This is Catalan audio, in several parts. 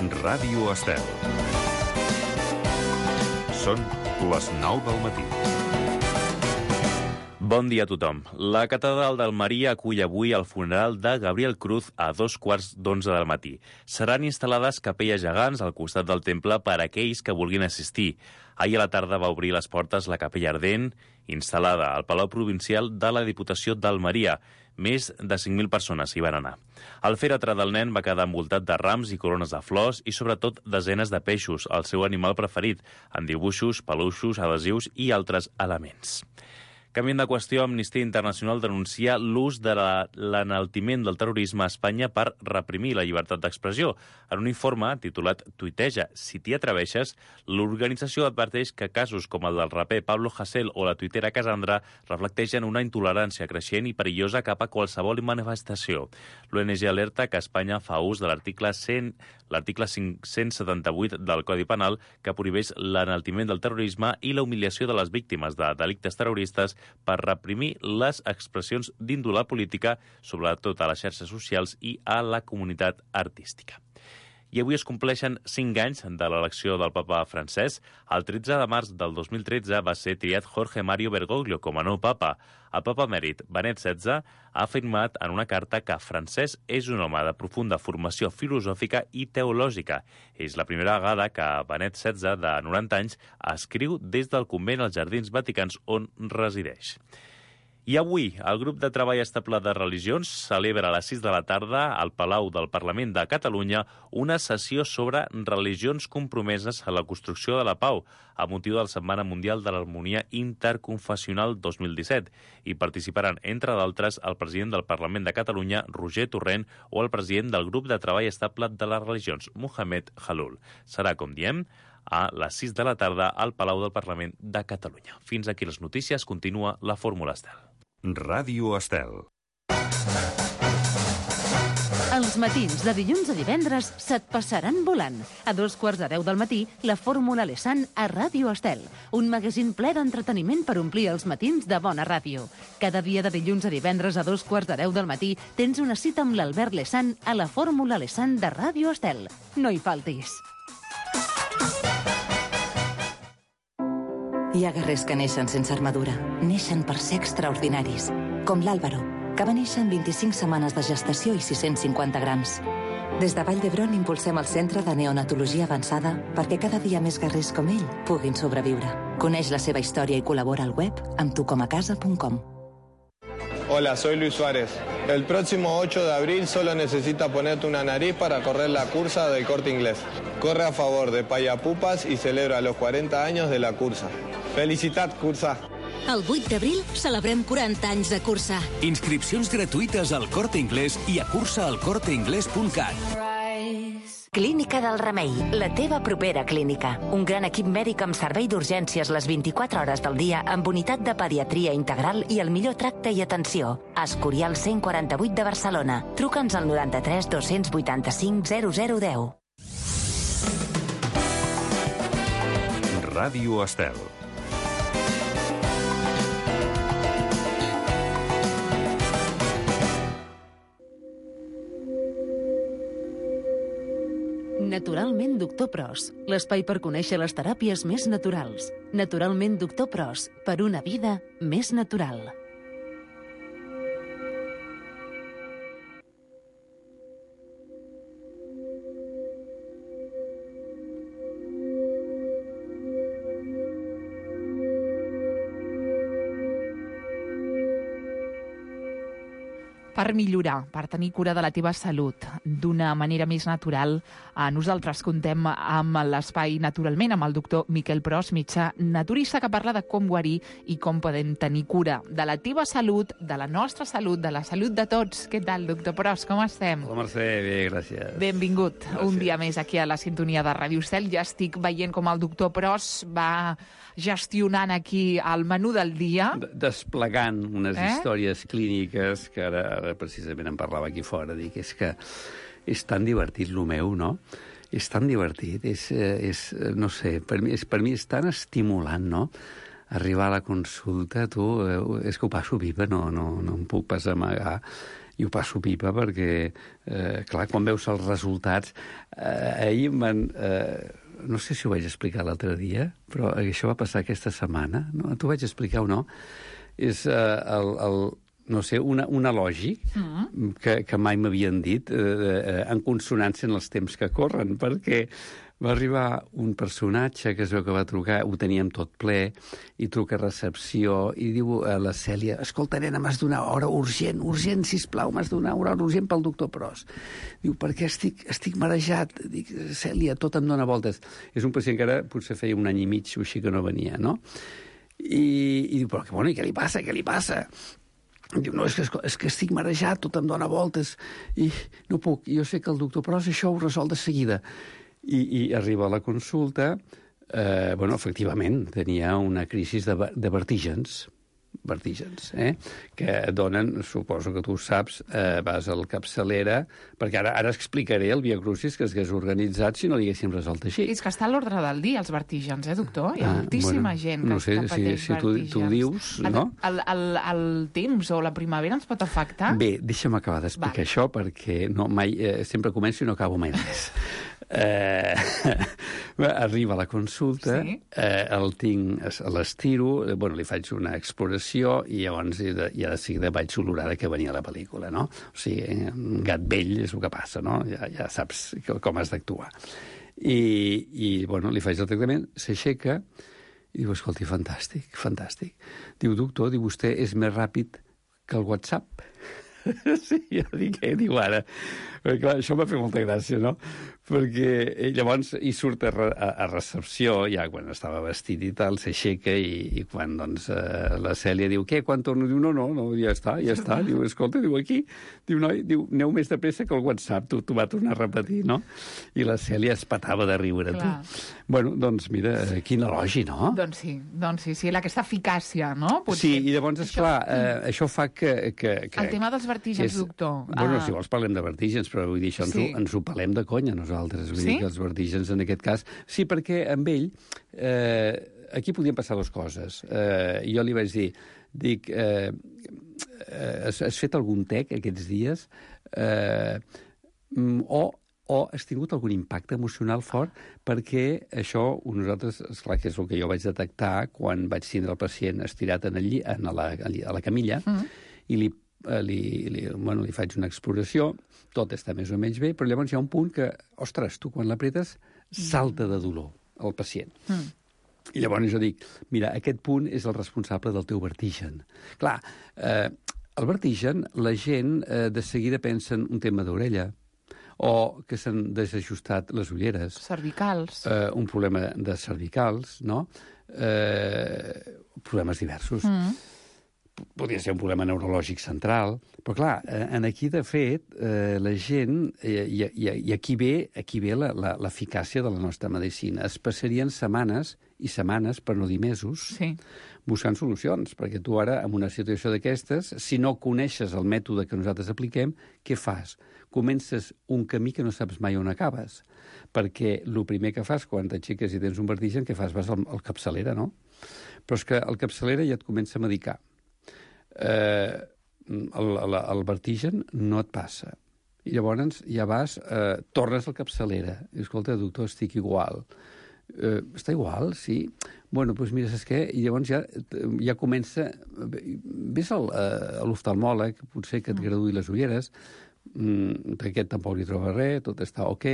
Ràdio Estel. Són les 9 del matí. Bon dia a tothom. La catedral d'Almeria acull avui el funeral de Gabriel Cruz a 11:15 del matí. Seran instal·lades capelles gegants al costat del temple per a aquells que vulguin assistir. Ahir a la tarda va obrir les portes la capella ardent, instal·lada al Palau Provincial de la Diputació d'Almeria. Més de 5.000 persones hi van anar. El fèretre del nen va quedar envoltat de rams i corones de flors i, sobretot, desenes de peixos, el seu animal preferit, en dibuixos, peluixos, adhesius i altres elements. Canviant de qüestió, Amnistia Internacional denuncia l'ús de l'enaltiment del terrorisme a Espanya per reprimir la llibertat d'expressió. En un informe titulat Tuiteja, si t'hi atreveixes, l'organització adverteix que casos com el del raper Pablo Hasél o la tuitera Cassandra reflecteixen una intolerància creixent i perillosa cap a qualsevol manifestació. L'ONG alerta que Espanya fa ús de l'article 578 del Codi Penal que prohibeix l'enaltiment del terrorisme i la humiliació de les víctimes de delictes terroristes per reprimir les expressions d'índole política, sobretot a les xarxes socials i a la comunitat artística. I avui es compleixen 5 anys de l'elecció del papa francès. El 13 de març del 2013 va ser triat Jorge Mario Bergoglio com a nou papa. El papa emèrit Benet XVI ha afirmat en una carta que Francesc és un home de profunda formació filosòfica i teològica. És la primera vegada que Benet XVI, de 90 anys, escriu des del convent als Jardins Vaticans on resideix. I avui, el grup de treball estable de religions celebra a les 6 de la tarda al Palau del Parlament de Catalunya una sessió sobre religions compromeses a la construcció de la pau, a motiu de la Setmana Mundial de l'Harmonia Interconfessional 2017. Hi participaran, entre d'altres, el president del Parlament de Catalunya, Roger Torrent, o el president del grup de treball estable de les religions, Mohamed Khalloul. Serà, com diem, a les 6 de la tarda al Palau del Parlament de Catalunya. Fins aquí les notícies. Continua la Fórmula Estel. Ràdio Estel. Els matins de dilluns a divendres se't passaran volant. A 9:15 del matí, la Fórmula Lesan a Ràdio Estel, un magazín ple d'entreteniment per omplir els matins de bona ràdio. Cada dia de dilluns a divendres a 9:15 del matí tens una cita amb l'Albert Lesan a la Fórmula Lesan de Ràdio Estel. No hi faltis. Hi ha guerrers que neixen sense armadura. Neixen per ser extraordinaris. Com l'Àlvaro, que va néixer en 25 setmanes de gestació i 650 grams. Des de Vall d'Hebron impulsem el Centre de Neonatologia Avançada perquè cada dia més guerrers com ell puguin sobreviure. Coneix la seva història i col·labora al web amb tucomacasa.com. Hola, soy Luis Suárez. El próximo 8 de abril solo necesita ponerte una nariz para correr la cursa del Corte Inglés. Corre a favor de Payapupas y celebra los 40 años de la cursa. Felicitat, cursa! El 8 d'abril celebrem 40 anys de cursa. Inscripcions gratuïtes al Corte Inglés i a cursaalcorteingles.cat. Clínica del Remei, la teva propera clínica. Un gran equip mèdic amb servei d'urgències les 24 hores del dia amb unitat de pediatria integral i el millor tracte i atenció. Escorial 148 de Barcelona. Truca'ns al 93 285 0010. Ràdio Estel. Naturalment Doctor Pros, l'espai per conèixer les teràpies més naturals. Naturalment Doctor Pros, per una vida més natural. Per millorar, per tenir cura de la teva salut d'una manera més natural, nosaltres contem amb l'espai Naturalment, amb el doctor Miquel Pros, metge naturista, que parla de com guarir i com podem tenir cura de la teva salut, de la nostra salut, de la salut de tots. Què tal, doctor Pros? Com estem? Hola, Mercè, bé, gràcies. Benvingut un dia més aquí a la sintonia de Ràdio Estel. Ja estic veient com el doctor Pros va gestionant aquí el menú del dia. Desplegant unes històries clíniques que ara precisament en parlava aquí fora. Dic, és que és tan divertit el meu, no? És tan divertit, no sé, per mi és tan estimulant, no? Arribar a la consulta, tu, és que ho passo viva, no em puc pas amagar. i ho passo pipa perquè, clar, quan veus els resultats... ahir no sé si ho vaig explicar l'altre dia, però això va passar aquesta setmana. No? T'ho vaig explicar o no? És no sé, un elogi que mai m'havien dit en consonància en els temps que corren, perquè va arribar un personatge que es veu que va trucar, ho teníem tot ple, i truca a recepció i diu a la Cèlia: escolta, nena, m'has d'una hora urgent, sisplau, m'has d'una hora urgent pel doctor Pros. Diu, perquè estic marejat. Dic, Cèlia, tot em dóna voltes. És un pacient que ara potser feia un any i mig o així que no venia, no? I diu, però bueno, i què li passa, Diu, no, és que estic marejat, tot em dóna voltes i no puc. Jo sé que el doctor Pros això ho resol de seguida. I arriba a la consulta, efectivament, tenia una crisi de vertígens, que donen, suposo que tu ho saps, vas al capçalera, perquè ara explicaré el Via Crucis que s'hagués organitzat si no l'haguéssim resolt així. És que està a l'ordre del dia, els vertígens, doctor? Hi ha moltíssima gent que pateix vertígens. Tu dius, no? El temps o la primavera ens pot afectar? Bé, deixa'm acabar d'explicar això, perquè sempre començo i no acabo mai res. Arriba a la consulta, el tinc, l'estiro, li faig una exploració i llavors ja de seguida vaig olorar que venia la pel·lícula, no? O sigui, un gat vell és el que passa, no? Ja saps com has d'actuar. I li faig el tractament, s'aixeca i diu, escolti, fantàstic. Diu, doctor, vostè és més ràpid que el WhatsApp. Sí, jo dic, què diu ara? Perquè, clar, això m'ha fet molta gràcia, no? Perquè llavors hi surt a recepció, ja quan estava vestit i tal, s'aixeca i quan, doncs, la Cèlia diu, què, quan torno? Diu, no, ja està. Diu, escolta, aquí. Diu, noi, aneu més de pressa que el WhatsApp, t'ho va tornar a repetir, no? I la Cèlia es petava de riure. Bueno, doncs, mira, quin elogi, no? Doncs sí, aquesta eficàcia, no? Sí, i llavors, esclar, això fa que... El tema dels vertígens, doctor. Bueno, si vols parlem de vertígens, però vull dir, això ens ho pelem de conya, nosaltres. Vull dir que els vertígens, en aquest cas... Sí, perquè amb ell, aquí podien passar dues coses. Jo li vaig dir, has fet algun tec aquests dies? O has tingut algun impacte emocional fort, perquè això, nosaltres, esclar, que és el que jo vaig detectar quan vaig tindre el pacient estirat a la camilla, i li faig una exploració, tot està més o menys bé, però llavors hi ha un punt que, ostres, tu quan l'apretes salta de dolor el pacient. I llavors jo dic, mira, aquest punt és el responsable del teu vertigen. Clar, el vertigen, la gent de seguida pensa en un tema d'orella, o que s'han desajustat les ulleres. Cervicals. Un problema de cervicals, no? Problemes diversos. Podria ser un problema neurològic central, però clar, aquí, de fet, la gent, i aquí ve l'eficàcia de la nostra medicina. Es passarien setmanes i setmanes, per no dir mesos, buscant solucions, perquè tu ara, en una situació d'aquestes, si no coneixes el mètode que nosaltres apliquem, què fas? Comences un camí que no saps mai on acabes, perquè el primer que fas quan t'aixeques i tens un vertigen, què fas? Vas al capçalera, no? Però és que el capçalera ja et comença a medicar. El vertigen no et passa. I llavors ja vas, tornes al capçalera. I, escolta, doctor, estic igual. Està igual, sí. Bueno, doncs mira, saps què? I llavors ja comença... Ves a l'oftalmòleg, potser que et graduï les ulleres, aquest tampoc li troba res, tot està ok.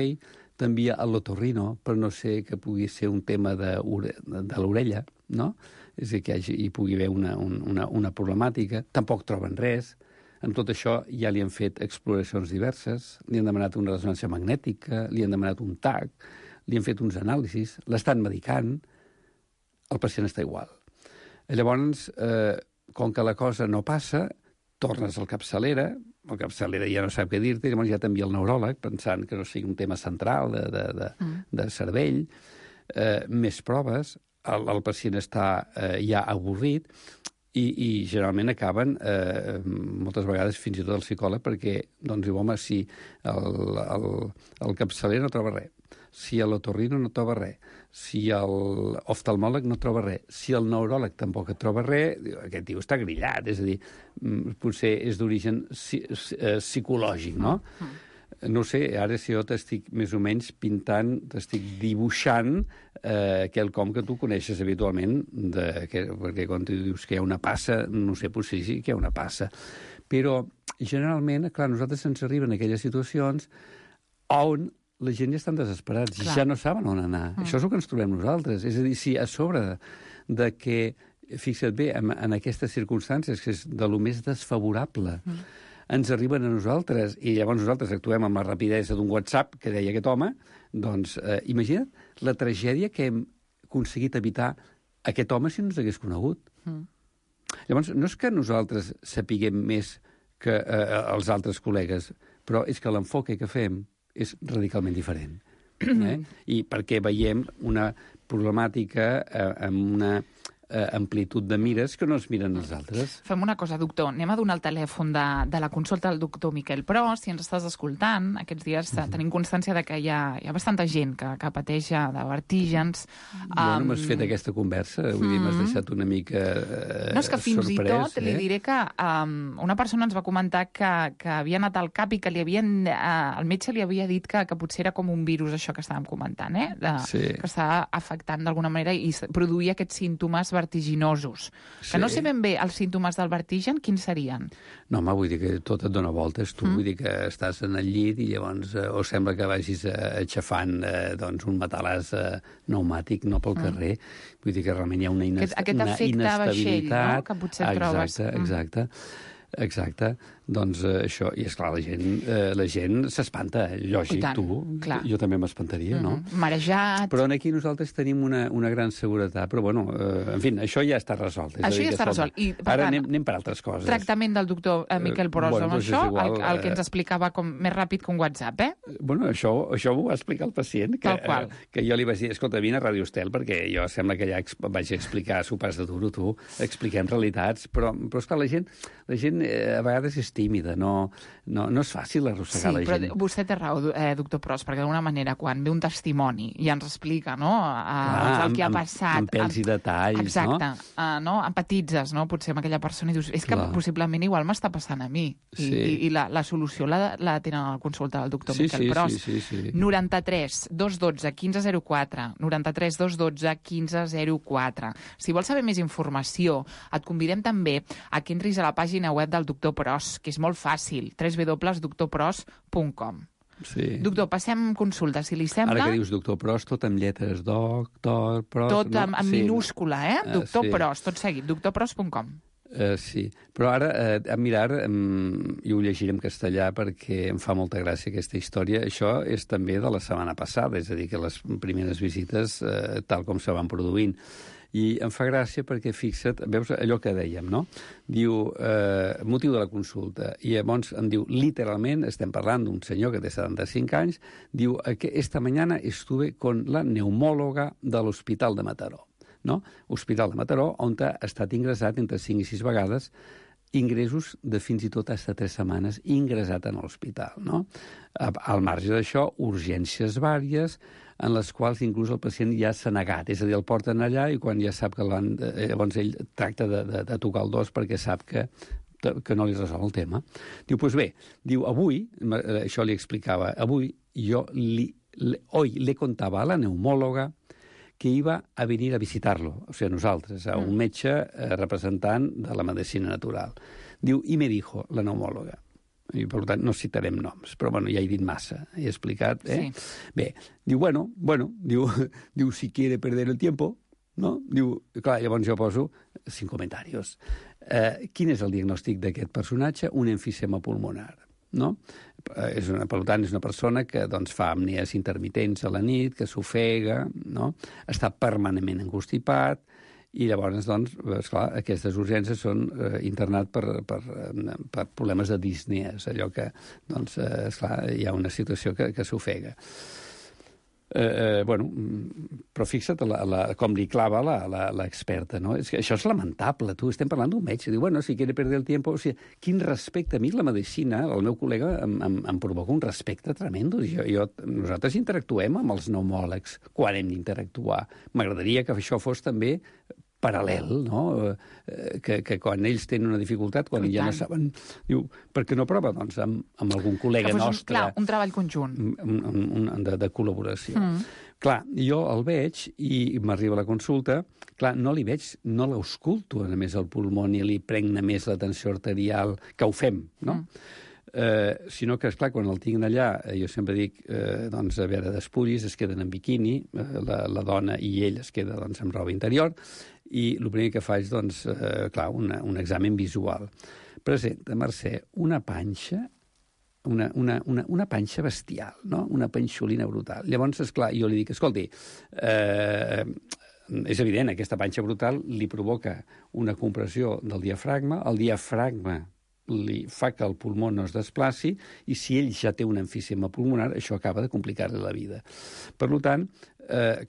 T'envia a l'otorrino, però no sé que pugui ser un tema de l'orella, no? És a dir, que hi pugui haver una problemàtica. Tampoc troben res. En tot això ja li han fet exploracions diverses, li han demanat una ressonància magnètica, li han demanat un TAC, li han fet uns anàlisis, l'estan medicant, el pacient està igual. Llavors, com que la cosa no passa, tornes al capçalera, el capçalera ja no sap què dir-te, llavors ja t'envia el neuròleg, pensant que no sigui un tema central de cervell, més proves, el pacient està ja avorrit, I generalment acaben, moltes vegades, fins i tot el psicòleg, perquè doncs, diu, home, si el capçaler no troba res, si l'otorrino no troba res, si l'oftalmòleg no troba res, si el neuròleg tampoc et troba res, aquest tio està grillat, és a dir, potser és d'origen psicològic, no? No sé, ara si jo t'estic més o menys pintant, t'estic dibuixant quelcom que tu coneixes habitualment, perquè quan tu dius que hi ha una passa, no sé, potser sí que hi ha una passa. Però, generalment, clar, nosaltres ens arriben aquelles situacions on la gent ja estan desesperats, ja no saben on anar. Això és el que ens trobem nosaltres. És a dir, si a sobre de que, fixa't bé, en aquestes circumstàncies, que és de lo més desfavorable, ens arriben a nosaltres, i llavors nosaltres actuem amb la rapidesa d'un WhatsApp, que deia aquest home, doncs imagina't la tragèdia que hem aconseguit evitar aquest home si no ens hagués conegut. Llavors, no és que nosaltres sapiguem més que els altres col·legues, però és que l'enfoque que fem és radicalment diferent. I perquè veiem una problemàtica amb una amplitud de mires que no es miren els altres. Fem una cosa, doctor. Anem a donar el telèfon de la consulta del doctor Miquel Pros. Si ens estàs escoltant, aquests dies tenim constància de que hi ha bastanta gent que pateix de vertígens. Bueno, m'has fet aquesta conversa, vull dir, m'has deixat una mica no, és que fins sorprès, i tot li diré que una persona ens va comentar que havia anat al cap i que el metge li havia dit que potser era com un virus, això que estàvem comentant, que estava afectant d'alguna manera i produïa aquests símptomes vertiginosos. Que no sé ben bé els símptomes del vertigen, quins serien? No, home, vull dir que tot et dona voltes, tu. Vull dir que estàs en el llit i llavors o sembla que vagis aixafant doncs, un matalàs pneumàtic, no pel carrer. Vull dir que realment hi ha una inestabilitat. Vaixell, no?, que potser trobes. Exacte. Doncs això, i esclar, la gent s'espanta, lògic, tu. Clar. Jo també m'espantaria, no? Marejat. Però aquí nosaltres tenim una gran seguretat. Però, bueno, en fi, això ja està resolt. Això ja està resolt. I, per ara tant, anem per altres coses. Tractament del doctor Miquel Pros amb això, el que ens explicava com més ràpid que un WhatsApp, Bueno, això ho va explicar el pacient, que jo li vaig dir, escolta, vine a Radio Estel, perquè jo sembla que ja vaig explicar sopars de duro, tu, expliquem realitats, però esclar, la gent a vegades és tímida, no és fàcil arrossegar la gent. Sí, però vostè té raó, doctor Pros, perquè d'alguna manera, quan ve un testimoni i ens explica, no?, el que ha passat... Amb pèls i detalls, exacte, no? Empatitzes, no?, potser amb aquella persona i dius, és que possiblement igual m'està passant a mi. I la solució la tenen a la consulta del doctor Miquel Pros. Sí. 93 212 1504, 93 212 1504. Si vols saber més informació, et convidem també a que entris a la pàgina web del doctor Pros, que és molt fàcil, www.doctorpros.com. Sí. Doctor, passem consulta, si li sembla. Ara que dius doctor Pros, tot amb lletres, doctor Pros... Tot en minúscula, Doctor Pros, tot seguit, doctorpros.com. Sí, però ara, i ho llegiré en castellà perquè em fa molta gràcia aquesta història. Això és també de la setmana passada, és a dir, que les primeres visites, tal com se van produint. I em fa gràcia perquè, fixa't, veus allò que dèiem, no? Diu, motiu de la consulta. I llavors em diu, literalment, estem parlant d'un senyor que té 75 anys, diu que esta mañana estuve con la neumòloga de l'Hospital de Mataró. No? Hospital de Mataró, on ha estat ingressat entre 5 i 6 vegades, ingressos de fins i tot fins a 3 setmanes ingressat en l'hospital. No? Al marge d'això, urgències vàries, en les quals inclús el pacient ja s'ha negat, és a dir, el porten allà i quan ja sap que llavors ell tracta de tocar el dos perquè sap que no li resol el tema. Diu, doncs bé, diu, avui, això li explicava, avui jo hoy le contaba a la neumòloga que iba a venir a visitarlo, o sigui, nosaltres, a un metge representant de la medicina natural. Diu, i me dijo, la neumòloga, i per tant no citarem noms, però bueno, ja he dit massa, he explicat, Sí. Bé, diu, bueno, diu, si quiere perder el tiempo, no? Diu, clar, llavors jo poso 5 comentaris. Quin és el diagnòstic d'aquest personatge? Un emfisema pulmonar. No? Per tant, és una persona que doncs, fa apnees intermitents a la nit, que s'ofega, no? Està permanentment encostipat, i llavors, doncs, esclar, aquestes urgències són internat per problemes de disnees, allò que, doncs, esclar, hi ha una situació que s'ofega. Bueno, però fixa't com li clava l'experta, no? És que això és lamentable, tu, estem parlant d'un metge, diu, bueno, si quiere perder el tiempo, o sigui, quin respecte, a mi la medicina, el meu col·lega em provoca un respecte tremendo, nosaltres interactuem amb els pneumòlegs quan hem d'interactuar, m'agradaria que això fos també paral·lel, no? Que quan ells tenen una dificultat, quan ja no saben... Diu, per què no prova, doncs, amb algun col·lega nostre... Clar, un treball conjunt. De col·laboració. Clar, jo el veig i m'arriba a la consulta, clar, no li veig, no l'ausculto, a més, el pulmó, ni li pregna més la tensió arterial, que ho fem, no? Sinó que, esclar, quan el tinc allà, jo sempre dic, doncs, a veure, despullis, es queden en biquini, la dona i ell es queda, doncs, amb roba interior, i el primer que faig, doncs, clar, un examen visual. Presenta, Mercè, una panxa, una panxa bestial, no? Una panxolina brutal. Llavors, esclar, jo li dic, escolti, és evident, aquesta panxa brutal li provoca una compressió del diafragma, el diafragma li fa que el pulmó no es desplaci i si ell ja té un emfisema pulmonar, això acaba de complicar-li la vida. Per tant,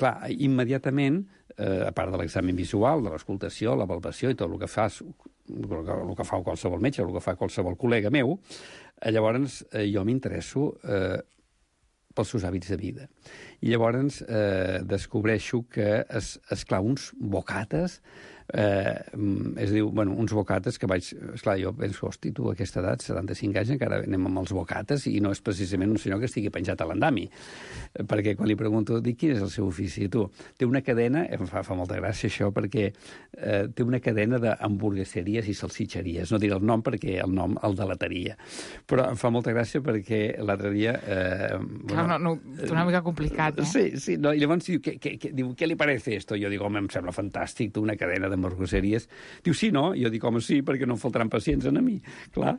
clar, immediatament, a part de l'examen visual, de l'escoltació, la palpació i tot el que fas, el que fa qualsevol metge, el que fa qualsevol col·lega meu, llavors jo m'interesso pels seus hàbits de vida. I llavors descobreixo que, esclar, uns bocates, es diu, bueno, uns bocates que vaig... Esclar, jo penso, hosti, tu, a aquesta edat, 75 anys, encara anem amb els bocates, i no és precisament un senyor que estigui penjat a l'andami. Perquè quan li pregunto, dic, quin és el seu ofici? Tu, té una cadena, em fa molta gràcia això, perquè té una cadena d'hamburgueseries i salsitxeries. No diré el nom perquè el nom el delataria. Però em fa molta gràcia perquè l'altre dia... Clar, no, és una mica complicat, eh? Sí, no, i llavors diu, ¿qué le parece esto? Jo dic, home, em sembla fantàstic, tu, una cadena d'hamburgueseries. Diu, sí, no? Jo dic, home, sí, perquè no em faltaran pacients a mi. Clar,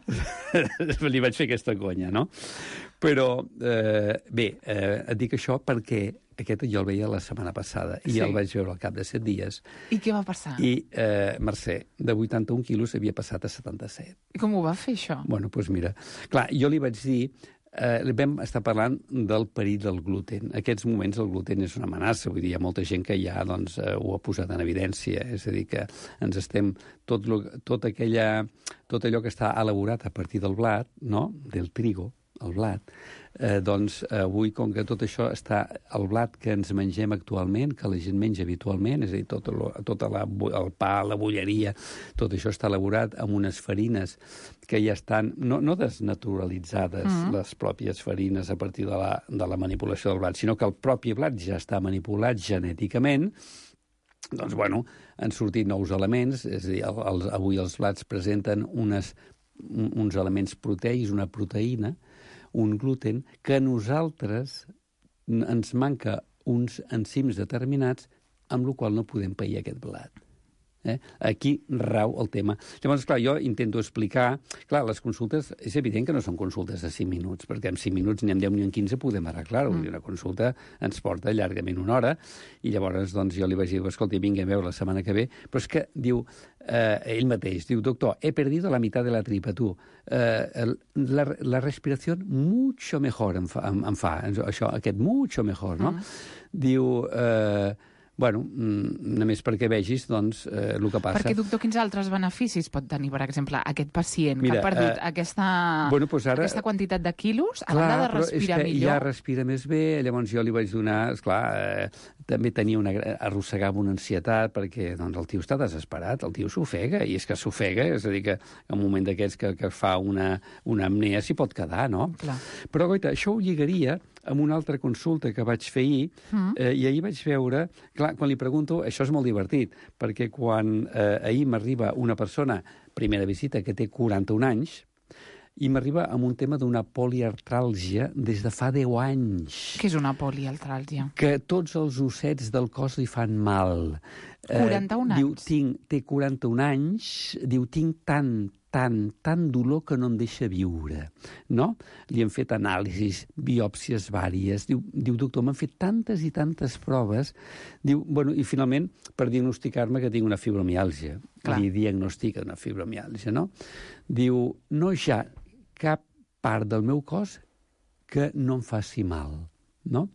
li vaig fer aquesta conya, no? Però, bé, et dic això perquè aquest jo el veia la setmana passada i el vaig veure al cap de 7 dies. I què va passar? I, Mercè, de 81 quilos havia passat a 77. I com ho va fer, això? Bueno, doncs mira, clar, jo li vaig dir... vam estar parlant del perill del gluten. En aquests moments el gluten és una amenaça, vull dir, hi ha molta gent que ja doncs, ho ha posat en evidència, és a dir, que ens estem... Tot allò que està elaborat a partir del blat, no?, del trigo, el blat, doncs avui, com que tot això està... El blat que ens mengem actualment, que la gent menja habitualment, és a dir, tot el pa, la bolleria, tot això està elaborat amb unes farines que ja estan, no desnaturalitzades, les pròpies farines a partir de la manipulació del blat, sinó que el propi blat ja està manipulat genèticament. Doncs, bueno, han sortit nous elements, és a dir, avui els blats presenten uns elements proteics, una proteïna, un gluten, que a nosaltres ens manca uns enzims determinats amb el qual no podem pair aquest blat. Aquí rau el tema. Llavors, clar, jo intento explicar... Clar, les consultes, és evident que no són consultes de 5 minuts, perquè en 5 minuts ni en 10 ni en 15 podem arreglar-ho. Una consulta ens porta llargament 1 hora, i llavors doncs, jo li vaig dir, escolta, vinga a veure la setmana que ve, però és que diu, ell mateix, diu, doctor, he perdido la mitad de la tripa, tu. La respiració mucho mejor em fa això, aquest mucho mejor, no? Diu... Bueno, només perquè vegis, doncs, el que passa... Perquè, doctor, quins altres beneficis pot tenir, per exemple, aquest pacient que ha perdut aquesta quantitat de quilos, a banda de respirar millor? Ja respira més bé, llavors jo li vaig donar... Esclar, també arrossegava una ansietat, perquè doncs, el tio està desesperat, el tio s'ofega, i és que s'ofega, és a dir, que en un moment d'aquests que fa una apnea s'hi pot quedar, no? Clar. Però, goita, això ho lligaria amb una altra consulta que vaig fer ahir, i ahir vaig veure... Clar, quan li pregunto, això és molt divertit, perquè quan ahir m'arriba una persona, primera visita, que té 41 anys, i m'arriba amb un tema d'una poliartràlgia des de fa 10 anys. Què és una poliartràlgia? Que tots els ossets del cos li fan mal. 41 anys? Diu, té 41 anys, diu, tinc tant dolor que no em deixa viure, no? Li han fet anàlisis, biòpsies vàries. Diu, doctor, m'han fet tantes i tantes proves. Diu, bueno, i finalment, per diagnosticar-me que tinc una fibromiàlgia. Li diagnostica una fibromiàlgia, no? Diu, no hi ha cap part del meu cos que no em faci mal, no?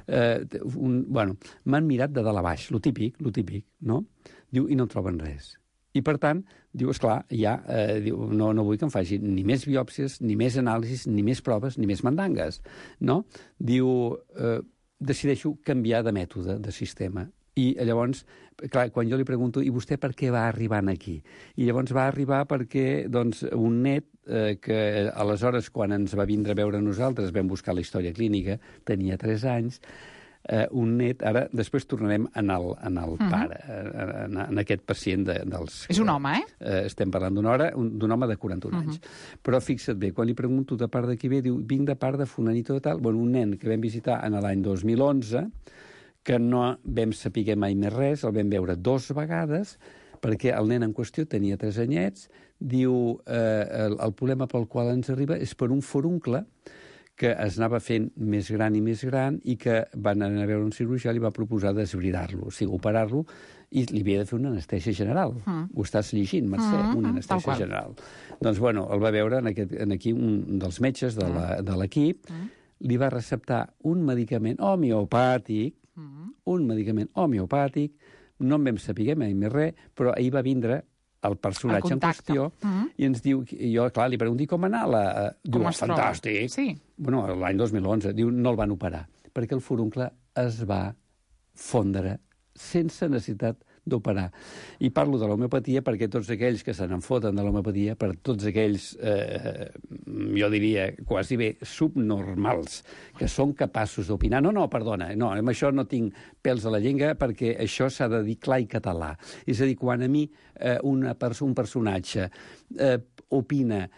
m'han mirat de dalt a baix, lo típic, no? Diu, i no troben res. I, per tant, diu, esclar, no vull que em facin ni més biòpsies, ni més anàlisis, ni més proves, ni més mandangues, no? Diu, decideixo canviar de mètode, de sistema. I llavors, clar, quan jo li pregunto, i vostè per què va arribar aquí? I llavors va arribar perquè, doncs, un net que aleshores, quan ens va vindre a veure nosaltres, vam buscar la història clínica, tenia 3 anys, un net, ara després tornarem en el pare, en aquest pacient dels... És un home, estem parlant d'un home de 41 anys. Però fixa't bé, quan li pregunto de part de qui ve, diu, vinc de part de fulanito de tal, un nen que vam visitar en l'any 2011, que no vam saber mai més res, el vam veure 2 vegades, perquè el nen en qüestió tenia 3 anyets, diu, el problema pel qual ens arriba és per un foruncle que es anava fent més gran i més gran i que van anar a veure un cirurgià i li va proposar desbridar-lo, o sigui, operar-lo, i li havia de fer una anestèsia general. Ho estàs llegint, Mercè? Una anestèsia general. Doncs, el va veure aquí un dels metges de l'equip, li va receptar un medicament homeopàtic, no en vam saber mai més res, però ahir va vindre el personatge en qüestió i ens diu, jo, clar, li pregunto com anar, diu, fantàstic. Sí. Bueno, l'any 2011, diu, no el van operar, perquè el foruncle es va fondre sense necessitat d'operar. I parlo de l'homeopatia perquè tots aquells que se n'enfoten de l'homeopatia, per tots aquells, jo diria, quasi bé subnormals, que són capaços d'opinar. No, amb això no tinc pèls a la llengua perquè això s'ha de dir clar i català. És a dir, quan a mi un personatge opina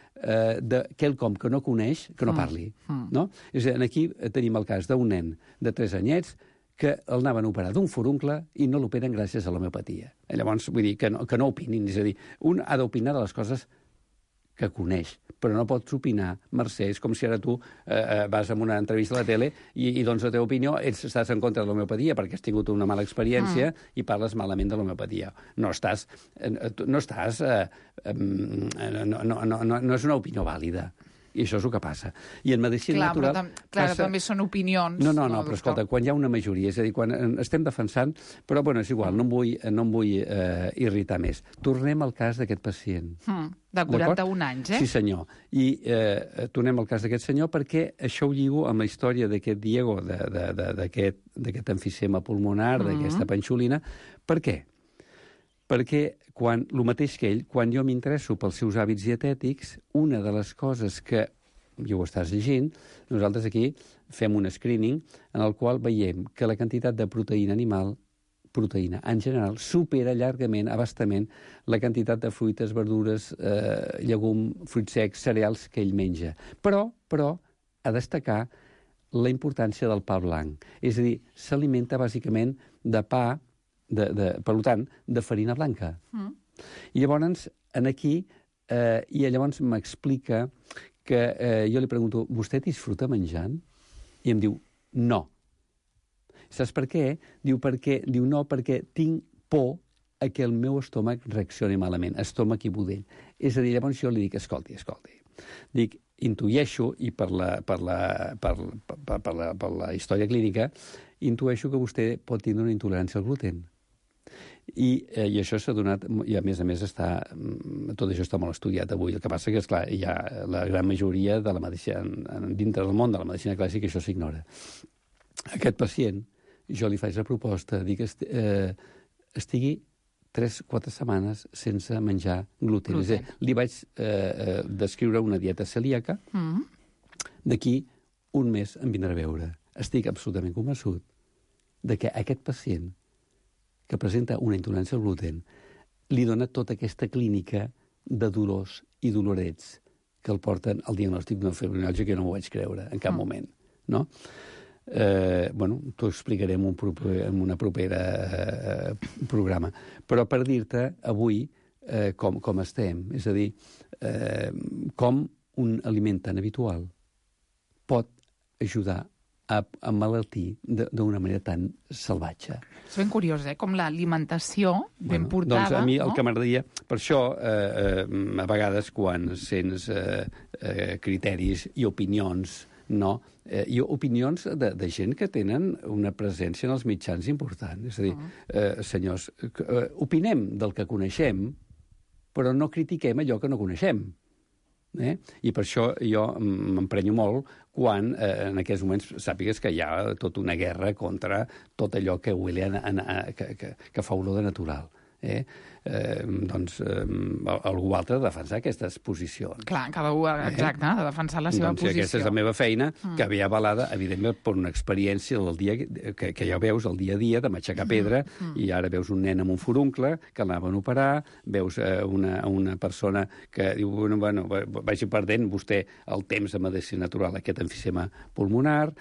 de quelcom que no coneix, que no parli. No? És a dir, aquí tenim el cas d'un nen de 3 anyets que el anaven a operar d'un foruncle i no l'operen gràcies a l'homeopatia. Llavors, vull dir, que no opinin. És a dir, un ha d'opinar de les coses que coneix, però no pots opinar, Mercè, és com si ara tu vas a una entrevista a la tele i doncs la teva opinió estàs en contra de l'homeopatia perquè has tingut una mala experiència i parles malament de l'homeopatia. No és una opinió vàlida. I això és el que passa. I en medicina natural... Clar, també són opinions. No, però escolta, quan hi ha una majoria, és a dir, quan estem defensant... Però, és igual, no em vull irritar més. Tornem al cas d'aquest pacient. De 41 anys, Sí, senyor. I tornem al cas d'aquest senyor perquè això ho lligo amb la història d'aquest Diego, d'aquest emfisema pulmonar, d'aquesta panxolina. Per què? Perquè el mateix que ell, quan jo m'interesso pels seus hàbits dietètics, una de les coses que, ja ho estàs llegint, nosaltres aquí fem un screening en el qual veiem que la quantitat de proteïna animal, proteïna en general, supera llargament, abastament, la quantitat de fruites, verdures, llegum, fruits secs, cereals que ell menja. Però, a destacar la importància del pa blanc. És a dir, s'alimenta bàsicament de pa, per tant, de farina blanca. I llavors, llavors m'explica que jo li pregunto, vostè disfruta menjant? I em diu, no. Saps per què? Diu, no, perquè tinc por que el meu estómac reaccioni malament, estómac i budell. És a dir, llavors jo li dic, escolti. Dic, intueixo, i per la història clínica, intueixo que vostè pot tindre una intolerància al gluten. I això s'ha donat, i a més tot això està molt estudiat avui. El que passa que, esclar, hi ha la gran majoria de la medicina, dintre del món de la medicina clàssica, això s'ignora. Aquest pacient, jo li faig la proposta, dic que estigui 3-4 setmanes sense menjar gluten. És a dir, li vaig descriure una dieta celíaca, d'aquí un mes em vindrà a veure. Estic absolutament convençut de que aquest pacient que presenta una intolerància al gluten li dona tota aquesta clínica de dolors i dolorets que el porten al diagnòstic d'una fibromiàlgia, que no m'ho vaig creure en cap moment. No? T'ho explicaré en una propera programa. Però per dir-te avui com estem, és a dir, com un aliment tan habitual pot ajudar a malaltir d'una manera tan salvatge. És ben curiós, com l'alimentació ben portada... Doncs a mi el que m'agradaria... Per això, a vegades, quan sents criteris i opinions no? I opinions de gent que tenen una presència en els mitjans important. És a dir, senyors, opinem del que coneixem, però no critiquem allò que no coneixem. I per això jo m'emprenyo molt quan en aquests moments sàpigues que hi ha tota una guerra contra tot allò que huele que fa olor de natural. Doncs algú altre ha de defensar aquestes posicions. Clar, cada un, exacte, ha de defensar la seva posició. Aquesta és la meva feina, que ve avalada, evidentment, per una experiència del dia que ja veus el dia a dia, de m'aixecar pedra, i ara veus un nen amb un furuncle que l'anaven a operar, veus una persona que diu, bueno, vagi perdent vostè el temps de medicina natural, aquest emfisema pulmonar,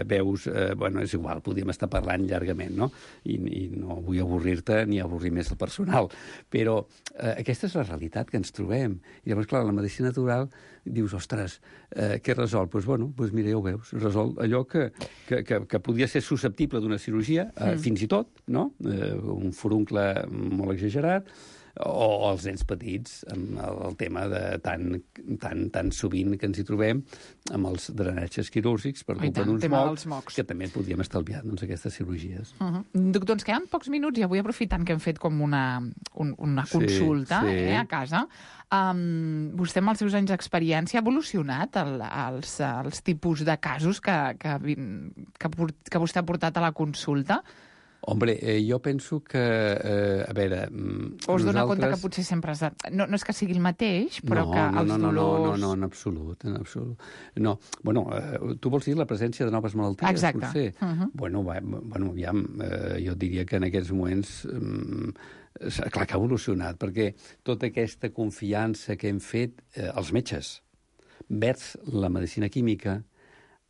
veus, bueno, és igual, podríem estar parlant llargament, no? I no vull avorrir-te ni avorrir més el personal. Però aquesta és la realitat que ens trobem. I llavors, clar, la medicina natural dius, ostres, què resol? Doncs, bueno, mira, ja ho veus, resol allò que podia ser susceptible d'una cirurgia, fins i tot, no? Un furuncle molt exagerat, o els nens petits, amb el tema de tan sovint que ens hi trobem, amb els drenatges quirúrgics per culpa d'uns mocs, que també podríem estalviar aquestes cirurgies. Doctor, ens queden pocs minuts i avui, aprofitant que hem fet com una consulta a casa, vostè amb els seus anys d'experiència ha evolucionat els tipus de casos que vostè ha portat a la consulta? Hombre, jo penso que, a veure... O es dona compte que potser sempre has de... No és que sigui el mateix, però que els dolors... No, en absolut. No, bueno, tu vols dir la presència de noves malalties? Exacte. Potser? Bueno, aviam, jo diria que en aquests moments... clar que ha evolucionat, perquè tota aquesta confiança que hem fet els metges vers la medicina química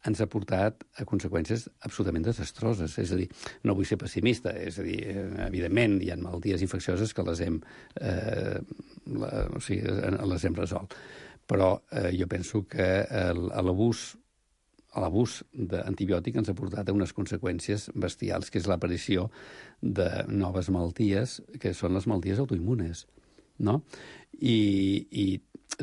ens ha portat a conseqüències absolutament desastroses. És a dir, no vull ser pessimista, és a dir, evidentment hi ha malalties infeccioses que les hem resolt. Però jo penso que l'abús d'antibiòtic ens ha portat a unes conseqüències bestials, que és l'aparició de noves malalties, que són les malalties autoimmunes, no? I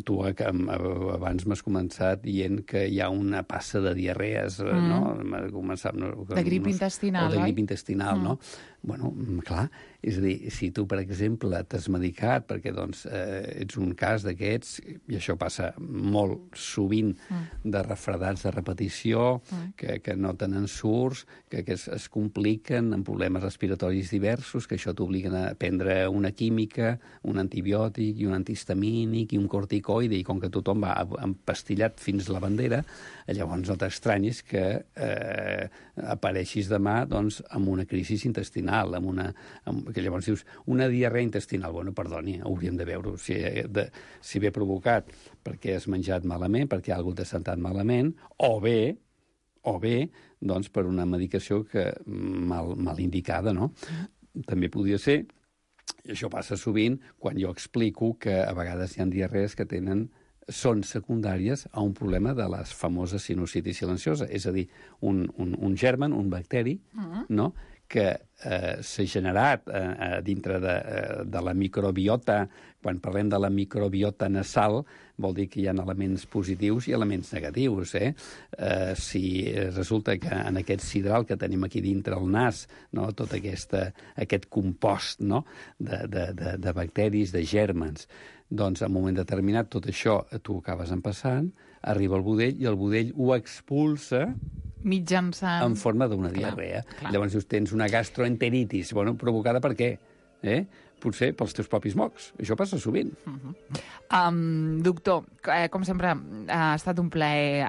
tu abans m'has començat dient que hi ha una passa de diarrees, no? De grip intestinal, oi? O de grip intestinal, no? Bueno, clar, és a dir, si tu, per exemple, t'has medicat perquè doncs, ets un cas d'aquests, i això passa molt sovint, de refredats de repetició, que no tenen surts, que es compliquen amb problemes respiratoris diversos, que això t'obliguen a prendre una química, un antibiòtic i un antihistamínic i un corticoide, i com que tothom va empastillat fins la bandera, llavors no t'estranyis que apareixis demà doncs, amb una crisi intestinal, que llavors dius, una diarrea intestinal. Bueno, perdoni, hauríem de veure si ve provocat perquè has menjat malament, perquè algú t'ha sentat malament, o bé, doncs, per una medicació mal indicada, no? També podria ser, i això passa sovint, quan jo explico que a vegades hi ha diarrees que són secundàries a un problema de les famoses sinusitis silenciosa, és a dir, un germen, un bacteri, no?, que s'ha generat dintre de la microbiota. Quan parlem de la microbiota nasal, vol dir que hi ha elements positius i elements negatius. Si resulta que en aquest sidral que tenim aquí dintre el nas, no, tot aquest compost, no, de bacteris, de gèrmens, doncs en un moment determinat tot això tu ho acabes empassant, arriba al budell i el budell ho expulsa mitjançant... en forma d'una diarrea. Llavors dius, tens una gastroenteritis. Bueno, provocada per què? Potser pels teus propis mocs. Això passa sovint. Doctor, com sempre, ha estat un plaer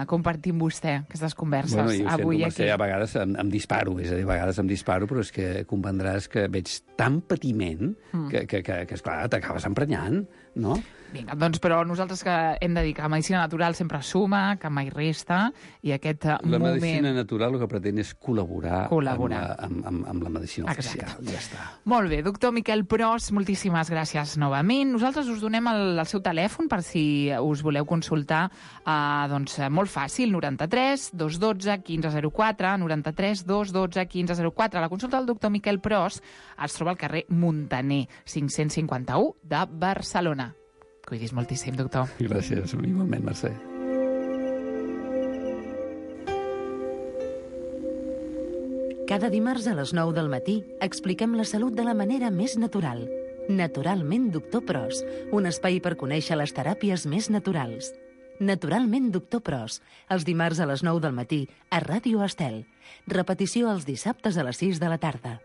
compartir amb vostè aquestes converses avui aquí. A vegades em disparo, és a dir, a vegades em disparo, però és que comprendràs que veig tan patiment que esclar, t'acabes emprenyant, no? Vinga, doncs, però nosaltres que hem de dir que la medicina natural sempre suma, que mai resta, i aquest moment... La medicina natural el que pretén és col·laborar. Amb la medicina oficial. Ja està. Molt bé, doctor Miquel Pros, moltíssimes gràcies novament. Nosaltres us donem el seu telèfon per si us voleu consultar, doncs molt fàcil, 93 212 1504, 93 212 1504. La consulta del doctor Miquel Pros es troba al carrer Muntaner, 551 de Barcelona. Cuidis moltíssim, doctor. Gràcies, igualment, Mercè. Cada dimarts a les 9 del matí expliquem la salut de la manera més natural. Naturalment Doctor Pros, un espai per conèixer les teràpies més naturals. Naturalment Doctor Pros, els dimarts a les 9 del matí a Ràdio Estel. Repetició els dissabtes a les 6 de la tarda.